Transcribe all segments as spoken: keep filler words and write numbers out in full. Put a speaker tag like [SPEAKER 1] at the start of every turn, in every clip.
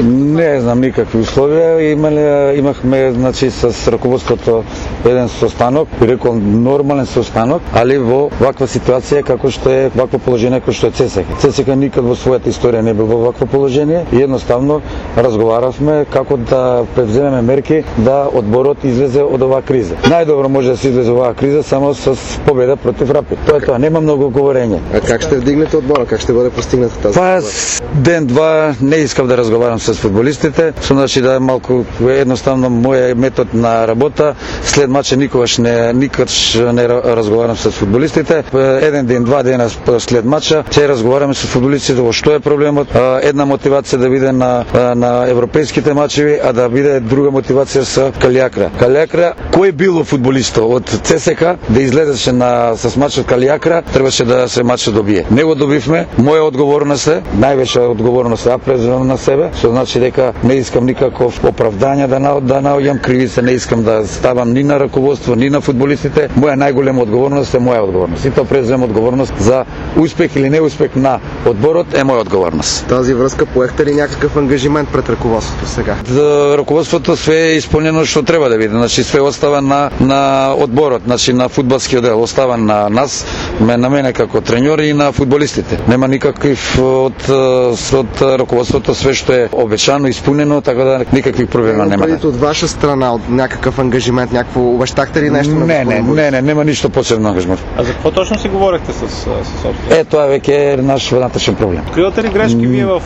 [SPEAKER 1] Не знам никакви условија. Имале, имахме значи с раководството еден состанок, би рекол нормален состанок, али во ваква ситуација како што е вакво положение како што е ЦСКА. ЦСКА никад во својата историја не бил во вакво положение и едноставно разговаравме како да превземеме мерки да одборот излезе од оваа криза. Најдобро може да се излезе оваа криза само со победа против Рапид. Тоа е тоа, нема многу говорење.
[SPEAKER 2] А как ще вдигнете одбора? Как ще бъде постигната тази?
[SPEAKER 1] Па ден-два не искав да разговарам с фудбалистите, со значи да е малку едноставно мојот метод на работа. След мача никогаш не никогаш не разговарам с фудбалистите. Еден ден, два дена след мача ќе разговараме со фудбалистите во што е проблемот. Една мотивација да биде на на европейските мачеви, а да биде друга мотивација со Калиакра. Калиакра, кој било фудбалисто од ЦСКА да излезеше на с мачот Калиакра, требаше да се мачот добие. Не го добивме. Моја одговорност е, највеќе одговорност ја преземам на себе, со значи дека не искам никаков оправдање да на, да наоѓам кривица, не искам да ставам ни на раководство, ни на фудбалистите. Моја најголема одговорност е моја одговорност. И тоа преземам одговорност за успех или неуспех на одборот е моја одговорност.
[SPEAKER 2] Тази врска поехте ли някакъв ангажимент пред ръководството сега?
[SPEAKER 1] За ръководството све е изпълнено што треба да биде. Значи све остава на на одборот, значи на фудбалскиот дел, остава на нас, на мене како треньор и на фудбалистите. Нема никакив од од ръководството све што е обечано, исполнено, така да никакви проблеми нема.
[SPEAKER 2] Предите од ваша страна од някакъв ангажимент, някакво обещахте ли нещо?
[SPEAKER 1] Не, не, не, не, нема ништо посебно ангажимент.
[SPEAKER 3] А за какво точно си говорихте с собствено?
[SPEAKER 1] Е, тоа веќе е наш внатрешен проблем.
[SPEAKER 3] Откривате ли грешки вие в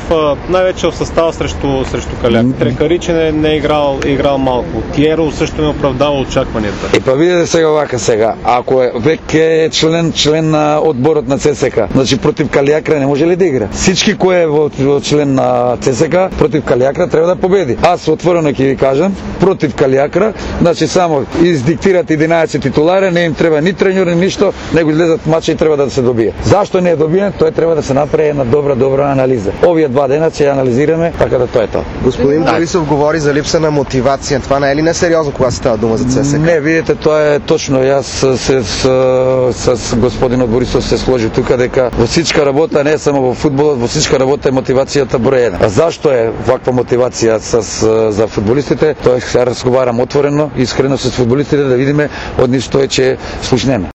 [SPEAKER 3] най-вече в състава срещу срещу Каляк? Трекариче не, не е играл, е играл малко. Тиеро също не оправдава очакванията.
[SPEAKER 1] И па видите сега вака сега, ако е веќе член член на одборот на ЦСКА, значи против Калиакра не може ли да игра? Всички кој е во, во член на ЦСКА против Калиакра треба да победи. Аз отворено ќе ви кажам, против Калиакра, значи само издиктират единаесет титулари, не им треба ни треньор ни ништо, него излезат мача и треба да се добие. Зашто не е добиен? Тоа треба да се направи една добра добра анализа. Овие два дена ќе анализираме, така да тоа е тоа.
[SPEAKER 2] Господин Борисов говори за липса на мотивација. Това не е ли несериозно кога става дума за ЦСКА?
[SPEAKER 1] Не, видите, тоа е точно. Јас се с, с господинот Борисов се сложи тука дека во всичка работа, не само во фудбалот, во всичка работа е мотивацијата број еден. А зашто е ваква мотивација с, за фудбалистите? Тоа ќе разговарам отворено, искрено с фудбалистите да видиме од нив што е ќе слушнеме.